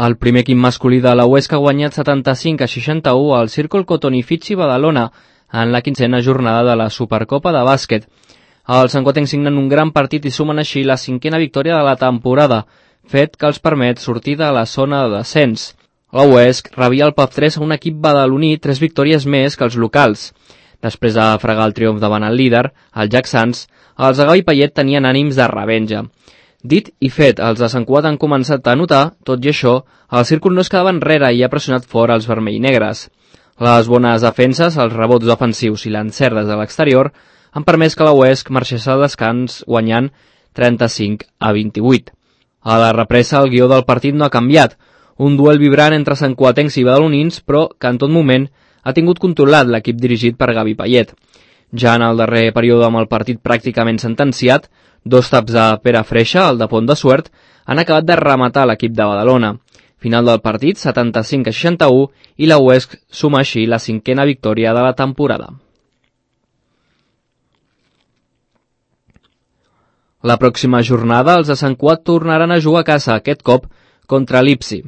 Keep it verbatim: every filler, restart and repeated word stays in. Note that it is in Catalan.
El primer equip masculí de la Huesca ha guanyat setanta-cinc a seixanta-u al Círcol Cotonifici Badalona en la quinzena jornada de la Supercopa de bàsquet. Els sancoatencs signen un gran partit i sumen així la cinquena victòria de la temporada, fet que els permet sortir de la zona de descens. La Huesc rebia el P A F tres a un equip badaloní tres victòries més que els locals. Després de fregar el triomf davant el líder, el Jack Sands, els de Gavi Payet tenien ànims de revenja. Dit i fet, els de Sant Cugat han començat a notar, tot i això, el círcul no es quedava enrere i ha pressionat fora els vermell-negres. Les bones defenses, els rebots ofensius i l'encert des de l'exterior han permès que la Huesc marxés al descans guanyant trenta-cinc a vint-i-vuit. A la represa, el guió del partit no ha canviat, un duel vibrant entre santcuatencs i badalonins, però que en tot moment ha tingut controlat l'equip dirigit per Gavi Payet. Ja en el darrer període amb el partit pràcticament sentenciat, dos taps de Pere Freixa, el de Pont de Suert, han acabat de rematar l'equip de Badalona. Final del partit, setanta-cinc a seixanta-u, i la Huesc suma així la cinquena victòria de la temporada. La pròxima jornada, els de Sant Cugat tornaran a jugar a casa, aquest cop contra l'Ipsi.